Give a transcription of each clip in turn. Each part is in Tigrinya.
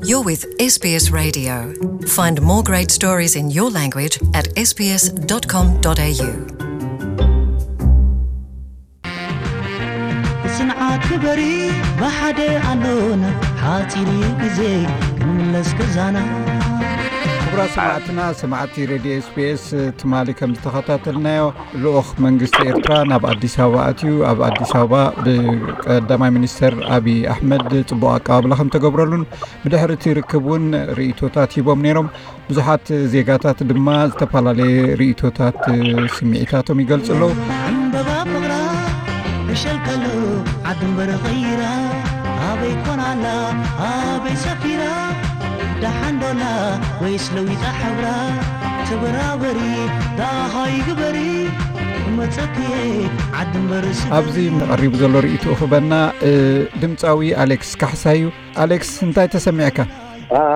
You're with S B S Radio. Find more great stories in your language at S B S dot com dot A U. ጽንዓት ግበሪ፣ ብሓደ ኣሎና፣ ሓጺር እዩ ግዜ ክንምለስ ገዛና። ክቡራት ሰማዕትና፣ ሰማዕቲ ሬድዮ ኤስቢኤስ፣ ትማሊ ከም ዝተኸታተልናዮ፣ ልኡኽ መንግስቲ ኤርትራ ናብ ኣዲስ ኣበባ ኣትዩ፣ ኣብ ኣዲስ ኣበባ ብቀዳማይ ሚኒስተር ኣብይ ኣሕመድ ጽቡቕ ኣቀባብላ ከም ተገብረሉን ብድሕሪ እቲ ርክብ እውን ርእይቶታት ሂቦም ነይሮም። ብዙሓት ዜጋታት ድማ ዝተፈላለየ ርእይቶታት፣ ስምዒታቶም ይገልጹ ኣለዉ። ዕምበባ ፍቕራ ብሸልከሉ ዓዲ እምበር ቐይራ፣ ኣበይ ኮናላ ኣበይ ሰፊራ፣ ደሓንዶላ ወይስ ለዊጣ ሕብራ፣ ተበራበሪ ደሃይ ግበሪ፣ መጸክየ ዓዲ እምበር ስፍሪ። ኣብዚ ቀሪቡ ዘሎ ርእይትኡ ክበና፣ ድምፃዊ ኣሌክስ ካሕሳ እዩ። ኣሌክስ፣ እንታይ ተሰሚዕካ?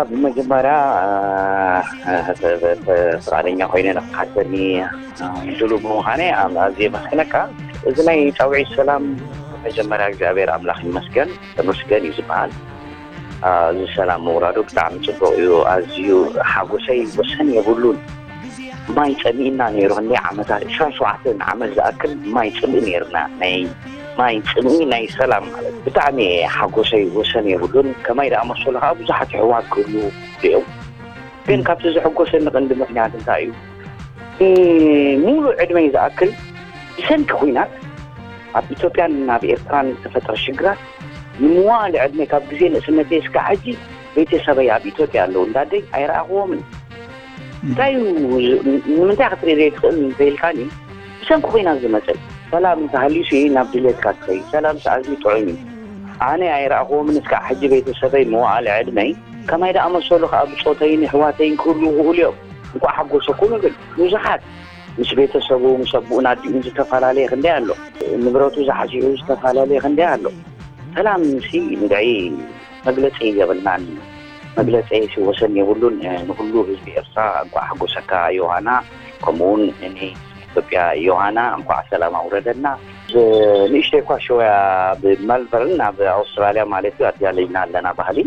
ብመጀመርያ ፍቃደኛ ኮይነ ንክሓተኒ ድሉ ብምዃነ ኣዝየ የመስግነካ። እዚ ናይ ፃውዒት ሰላም መጀመርያ እግዚኣብሔር ኣምላኽ ይመስገን፣ ተመስገን እዩ ዝበሃል። እዚ ሰላም ምውራዱ ብጣዕሚ ፅቡቅ እዩ። ኣዝዩ ሓጎሰይ ወሰን የብሉን። ማይ ፀሚእና ነይሩ፣ ክንደይ ዓመታት፣ ዕስራን ሸውዓተን ዓመት ዝኣክል ማይ ፅምኢ ነይርና። ናይ ማይ ፅምኢ ናይ ሰላም ማለት ብጣዕሚ ሓጎሰይ ወሰን የብሉን። ከማይ ደኣ መሰሉ ከዓ ብዙሓት ኣሕዋት ክህልዉ እዮም። ግን ካብቲ ዘሐጎሰኒ ቀንዲ ምክንያት እንታይ እዩ? ሙሉእ ዕድመይ ዝኣክል ብሰንኪ ኲናት ኣብ ኢትዮጵያን ኣብ ኤርትራን ዝተፈጥረ ሽግራት ንምዋል ዕድመ ካብ ግዜ ንእስነተይ እስካዕ ሕጂ ቤተሰበይ ኣብ ኢትዮጵያ ኣለዉ። እንዳደይ ኣይረኣኽዎምን። እንታይ እዩ፣ ንምንታይ ክትርኢ ዘይትኽእል እንተኢልካኒ፣ ብሰንኪ ኲናት ዝመፀ ሰላም እንተሃልዩሲ ናብ ድሌትካ ትኸይድ። ሰላም ኣዝዩ ጥዑም እዩ። ኣነ ኣይረኣኽዎምን እስካዕ ሕጂ ቤተሰበይ መዋእለ ዕድመይ። ከማይ ደኣ መሰሉ ከዓ ብፆተይን ኣሕዋተይን ክህልዉ ክኽእሉ እዮም። እንኳዕ ሓጎሰኩም እብል። ብዙሓት ምስ ቤተሰቡ ምስ ኣቦኡን ኣዲኡን ዝተፈላለየ ክንደይ ኣሎ። ንብረቱ ዝሓሲኡ ዝተፈላለየ ክንደይ ኣሎ። ሰላም ሲ ንድዒ መግለፂ የብልናን። መግለፂ ሲ ወሰን የብሉን። ንኩሉ ህዝቢ ኤርትራ እንኳዕ ሓጎሰካ ዮሃና፣ ከምኡውን ንኢትዮጵያ ዮሃና እንኳዕ ሰላም ኣውረደና። ንእሽተይ እኳ ሸወያ ኣብ መልበርን ኣብ ኣውስትራልያ ማለት እዩ ኣዳሊና ኣለና ባህሊ።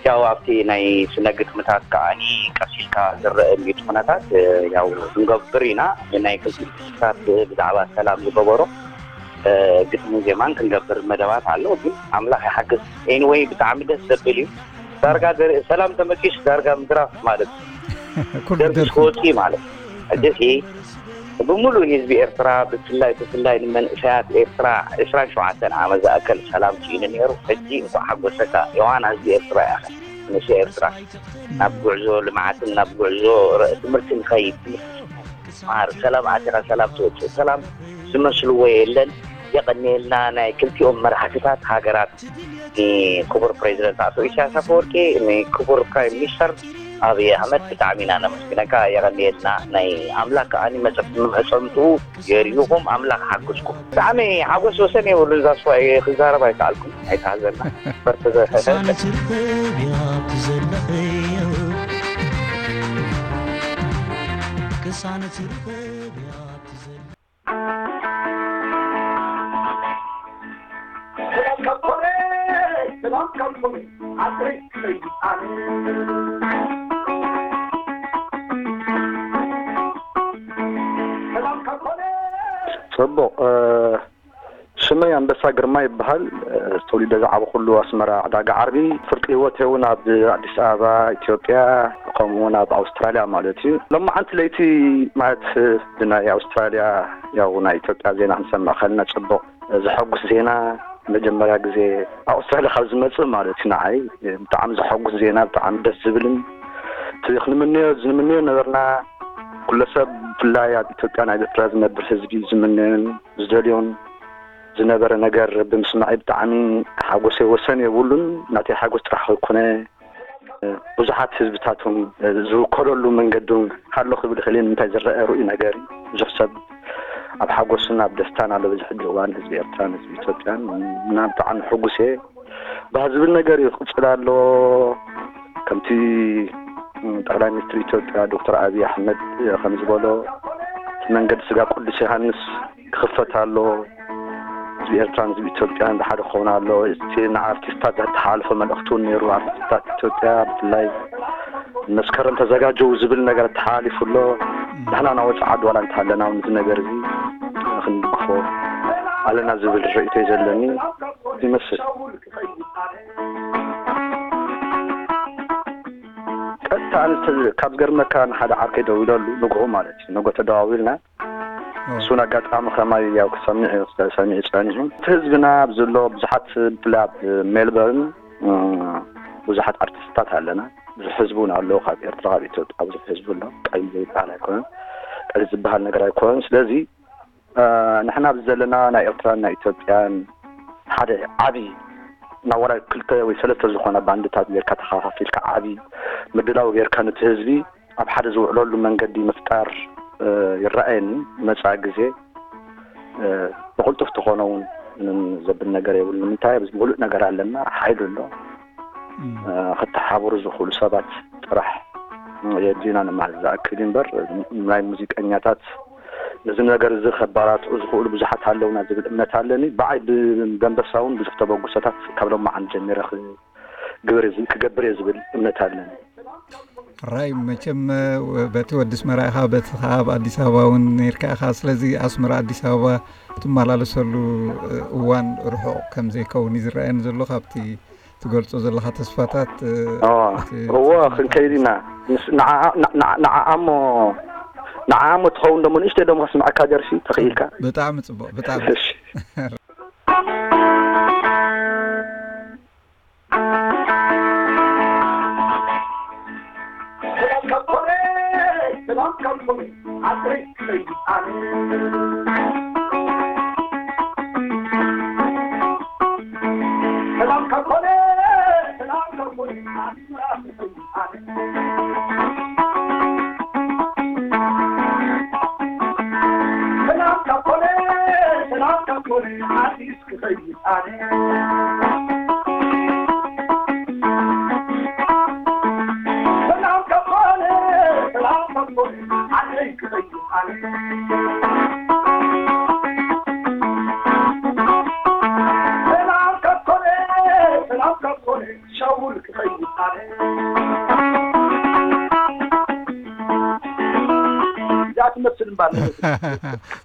ያው ኣብቲ ናይ ስነ ግጥምታት ከዓኒ ቀስ ኢልካ ዝረአ ግጥምታት ያው ክንገብር ኢና። ናይ ክልቲኡ ህዝብታት ብዛዕባ ሰላም ዝገበሮ ግጥምን ዜማን ክንገብር መደባት ኣሎ። ግን ኣምላኽ ይሓግዝ። ኤኒወይ ብጣዕሚ ደስ ዘብል እዩ። ዳርጋ ዘርኢ ሰላም ተመኪስ ዳርጋ ምድራፍ ማለት እዩ። ኩሉ ደርጊ ደርፊ ክወፅእ ማለት እዩ። ሕጂ ሲ ብምሉእ ህዝቢ ኤርትራ ብፍላይ ብፍላይ ንመንእሰያት ኤርትራ ዕስራን ሸውዓተን ዓመት ዝኣከል ሰላም ስኢኑ ነይሩ። ሕጂ እንኳዕ ሓጎሰካ ዮሃና ህዝቢ ኤርትራ ኢኻ። ንእሰ ኤርትራ ናብ ጉዕዞ ልምዓትን ናብ ጉዕዞ ረ- ትምህርቲ ንኸይድ ትምህርቲ ትምሃር ሰላም ኣቲኻ ሰላም ትወፅእ ሰላም ዝመስልዎ የለን። የቐንየልና ናይ ክልቲኦም መራሕትታት ሃገራት ንክቡር ፕሬዚደንት ኣቶ ኢሳያስ ኣፈወርቂ ንክቡር ፕራይም ሚኒስተር ኣብይ ኣሕመድ ብጣዕሚ ኢና ነመስግነካ። የቐንየልና ናይ ኣምላክ ከዓኒ መጸ- መጸምትኡ የርእዩኹም ኣምላክ ሓግዝኩም። ብጣዕሚ ሓጎስ ወሰን የብሉን። እዛ ስዋ ክዛረብ ኣይከኣልኩም ኣይተሃዘና በርትዘ ቅሳነት ርኸብ እያ ትዘለኸዮ ቅሳነት ርኸብ እያ ትዘለ ጽቡቕ። ስመይ ኣንበሳ ግርማ ይበሃል። ተወሊደ ዝዓበኹሉ ኣስመራ ዕዳጋ ዓርቢ። ፍርቂ ህይወተይ እውን ኣብ ኣዲስ ኣበባ ኢትዮጵያ፣ ከምኡ እውን ኣብ ኣውስትራልያ ማለት እዩ። ሎማዓንቲ ለይቲ ማለት ብናይ ኣውስትራልያ ያው ናይ ኢትዮጵያ ዜና ክንሰምዕ ከለና ጽቡቕ ዘሐጉስ ዜና፣ መጀመርያ ግዜ ኣውስትራልያ ካብ ዝመጽእ ማለት እዩ። ንዓይ ብጣዕሚ ዘሐጉስ ዜና፣ ብጣዕሚ ደስ ዝብልን እቲ ክንምነዮ ዝንምነዮ ነበርና። ኩለ ሰብ ብፍላይ ኣብ ኢትዮጵያ ናይ ኤርትራ ዝነብር ህዝቢ ዝምነዮን ዝደልዮን ዝነበረ ነገር ብምስማዐይ ብጣዕሚ ሓጎሰይ ወሰን የብሉን። ናተይ ሓጎስ ጥራሕ ከይኮነ ብዙሓት ህዝብታት እውን ዝውከለሉ መንገዲ እውን ኣሎ ክብል ይኽእል እየ። ንምንታይ ዝረአ ርኡይ ነገር እዩ። ብዙሕ ሰብ ኣብ ሓጎስን ኣብ ደስታን ኣሎ። በዚ ሕጂ እዋን ህዝቢ ኤርትራን ህዝቢ ኢትዮጵያን እና ብጣዕሚ ሕጉስ እየ። ባህ ዝብል ነገር እዩ ክቕፅል ኣለዎ። ከምቲ ጠቅላይ ሚኒስትር ኢትዮጵያ ዶክተር ኣብይ ኣሕመድ ከም ዝበሎ እቲ መንገዲ ስጋ ቅዱስ ዮሃንስ ክኽፈት ኣለዎ። ህዝቢ ኤርትራን ህዝቢ ኢትዮጵያን ብሓደ ክኸውን ኣሎ። እቲ ንኣርቲስታት ዘተሓላልፎ መልእኽቲ እውን ነይሩ። ኣርቲስታት ኢትዮጵያ ብፍላይ መስከረም ተዘጋጀው ዝብል ነገር ተሓላሊፉ ኣሎ። ንሕና ናወፅ ዓዲ ዋላ እንተሃለና እውን እዚ ነገር እዚ ክንድግፎ ኣለና ዝብል ርእይቶ እዩ ዘለኒ ይመስል። ቀጥታ ኣነ ካብ ዝገርመካ ንሓደ ዓርከይ ደዊለሉ ንግሆ ማለት እዩ። ንግሆ ተደዋዊልና እሱን ኣጋጣሚ ከማይ ያው ክሰምዕ እዩ፣ ሰሚዑ ጸኒሑ። እቲ ህዝብና ኣብ ዘሎ ብዙሓት ብፍላይ ኣብ ሜልበርን ብዙሓት ኣርቲስታት ኣለና። ብዙሕ ህዝቢ እውን ኣሎ ካብ ኤርትራ ካብ ኢትዮጵያ ብዙሕ ህዝቢ ኣሎ። ቀይም ዘይበሃል ኣይኮነን፣ ቀይም ዝበሃል ነገር ኣይኮነን። ስለዚ ንሕና ኣብዚ ዘለና ናይ ኤርትራን ናይ ኢትዮጵያን ሓደ ዓቢ ናብ ወላ ክልተ ወይ ሰለስተ ዝኾና ባንድታት ጌርካ ተኸፋፊልካ ዓቢ ምድላው ጌርካ ነቲ ህዝቢ ኣብ ሓደ ዝውዕለሉ መንገዲ ምፍጣር ይረኣየኒ። መጻኢ ግዜ ብቕልጡፍ ተኾነ እውን ምንም ዘብል ነገር የብሉ። ንምንታይ ኣብዚ ምሉእ ነገር ኣለና፣ ሓይሊ ኣሎ። ከተሓብሩ ዝኽእሉ ሰባት ጥራሕ የድልዩና ንማለት ዝኣክል እዩ እምበር ናይ ሙዚቀኛታት ነዚ ነገር እዚ ከባራትዑ ዝኽእሉ ብዙሓት ኣለውና ዝብል እምነት ኣለኒ። ብዓይ ብደንበሳ እውን ብዙሕ ተበግሶታት ካብ ሎማዓንቲ ጀሚረ ክግበር እየ ዝብል እምነት ኣለኒ። ራይ መቸም በቲ ወዲ ኣስመራ ኢኻ፣ በቲ ከዓ ኣብ ኣዲስ ኣበባ እውን ነርካ ኢኻ። ስለዚ ኣስመራ ኣዲስ ኣበባ ትመላለሰሉ እዋን ርሑቕ ከም ዘይከውን እዩ ዝረኣየኒ ዘሎ ካብቲ ትገልጾ ዘለኻ ተስፋታት። እዎ ክንከይድ ኢና። ንዓኣሞ ንዓኣሞ ትኸውን ደሞ ንእሽተይ ደሞ ከስምዐካ ደርፊ ተኽኢልካ። ብጣዕሚ ጽቡቕ፣ ብጣዕሚ። እዛ ትመስል እምባ ኣለበት።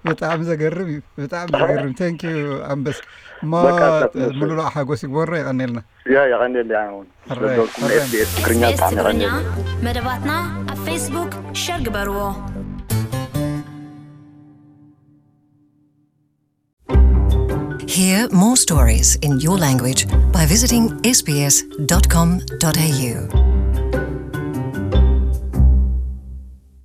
ብጣዕሚ ዘገርም እዩ፣ ብጣዕሚ ዘገርም። Thank you ኣንበስ። እሞ ሙሉእ ሓጎስ ይግበሮ። የቐኔልና። ያ የቐኔል። ኣሁን ስለዘውኩም SBS ትግርኛ ብጣዕሚ የቐኔል። መደባትና ኣብ ፌስቡክ ሸር ግበርዎ። Hear more stories in your language by visiting sbs.com.au.